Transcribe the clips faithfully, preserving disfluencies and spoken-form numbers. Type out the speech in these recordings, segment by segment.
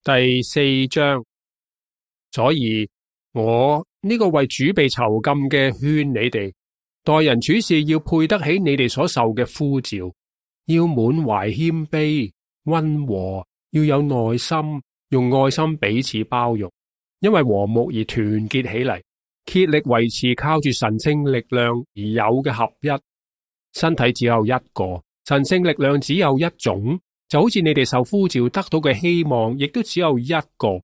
第四章。所以我呢個為主被囚禁嘅勸你哋，待人處事要配得起你哋所受嘅呼召，要滿懷謙卑、溫和，要有耐心，用愛心彼此包容，因為和睦而團結起嚟，竭力維持靠住神聖力量而有嘅合一。身體只有一個，神聖力量只有一種，就好似你哋受呼召得到嘅希望，亦都只有一個。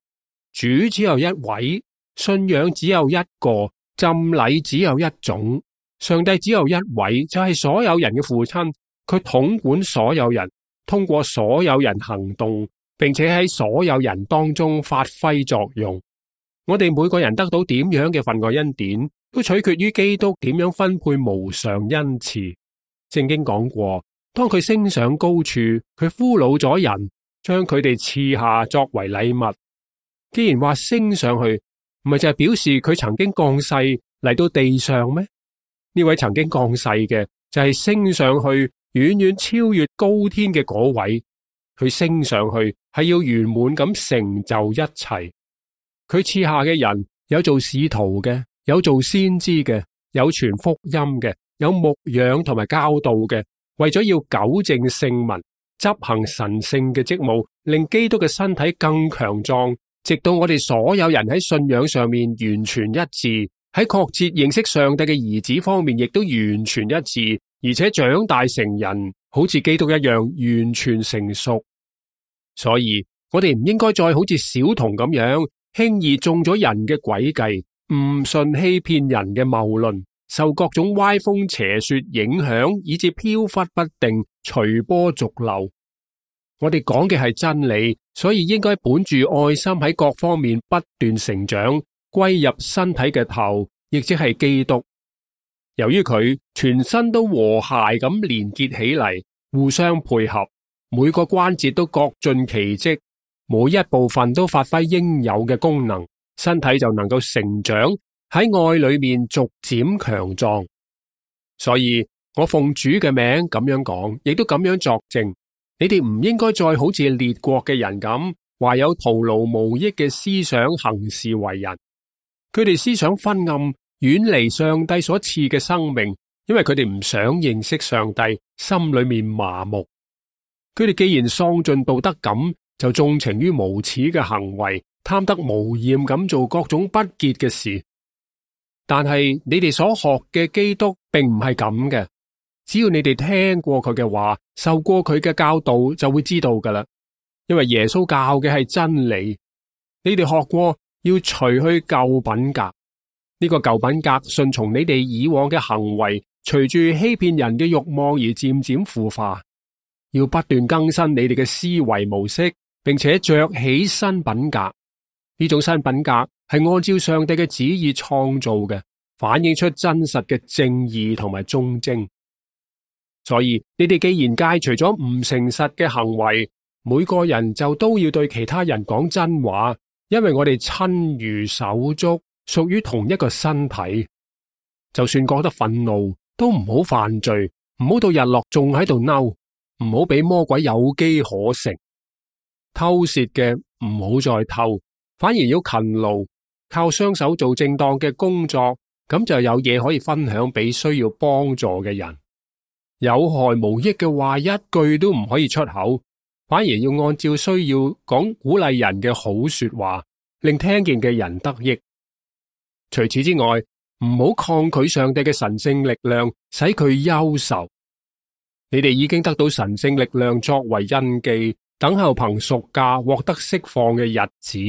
主只有一位，信仰只有一個，浸禮只有一種，上帝只有一位，就係所有人嘅父親。佢統管所有人，通過所有人行動，並且喺所有人當中發揮作用。我哋每個人得到點樣嘅份外恩典，都取決於基督點樣分配無常恩賜。聖經講過，當佢升上高處，佢俘虜咗人，將佢哋賜下作為禮物。既然話升上去，唔係就係表示佢曾經降世嚟到地上咩？呢位曾經降世嘅就係升上去，遠遠超越高天嘅嗰位。佢升上去係要圓滿咁成就一切。佢賜下嘅人有做使徒嘅，有做先知嘅，有傳福音嘅，有牧養同埋教導嘅，為咗要糾正聖民，執行神聖嘅職務，令基督嘅身體更強壯。直到我哋所有人喺信仰上面完全一致，喺確切認識上帝嘅兒子方面亦都完全一致，而且長大成人，好似基督一樣完全成熟。所以我哋唔應該再好似小童咁樣輕易中咗人嘅詭計，誤信欺騙人嘅謬論，受各種歪風邪說影響，以致飄忽不定，隨波逐流。我哋講嘅係真理，所以應該本住愛心喺各方面不斷成長，歸入身體嘅頭，亦即係基督。由於佢全身都和諧咁連結起嚟，互相配合，每個關節都各盡其職，每一部分都發揮應有嘅功能，身體就能夠成長，喺愛裏面逐漸強壯。所以我奉主嘅名咁樣講，亦都咁樣作證。你哋唔應該再好似列國嘅人咁，懷有徒勞無益嘅思想行事為人。佢哋思想昏暗，遠離上帝所賜嘅生命，因為佢哋唔想認識上帝，心裏面麻木。佢哋既然喪盡道德感，就縱情於無恥嘅行為，貪得無厭咁做各種不潔嘅事。但係你哋所學嘅基督並唔係咁嘅。只要你哋聽過佢嘅話，受過佢嘅教導，就會知道噶啦。因為耶穌教嘅係真理，你哋學過要除去舊品格。呢個舊品格順從你哋以往嘅行為，隨住欺騙人嘅慾望而漸漸腐化。要不斷更新你哋嘅思維模式，並且着起新品格。呢種新品格係按照上帝嘅旨意創造嘅，反映出真實嘅正義同埋忠貞。所以你哋既然戒除咗唔誠實嘅行為，每個人就都要對其他人講真話，因為我哋親如手足，屬於同一個身體。就算覺得憤怒，都唔好犯罪，唔好到日落仲喺度嬲，唔好俾魔鬼有機可乘。偷竊嘅唔好再偷，反而要勤勞，靠雙手做正當嘅工作，咁就有嘢可以分享俾需要幫助嘅人。有害無益嘅話一句都唔可以出口，反而要按照需要講鼓勵人嘅好說話，令聽見嘅人得益。除此之外，唔好抗拒上帝嘅神聖力量，使佢憂愁。你哋已經得到神聖力量作為印記，等候憑贖價獲得釋放嘅日子。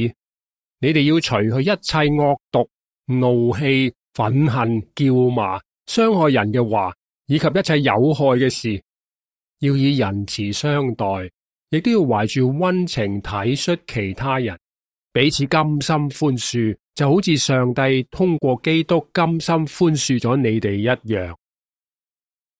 你哋要除去一切惡毒、怒氣、憤恨、叫罵、傷害人嘅話，以及一切有害嘅事，要以仁慈相待，亦都要懷住溫情體恤其他人，彼此甘心寬恕，就好似上帝通過基督甘心寬恕咗你哋一樣。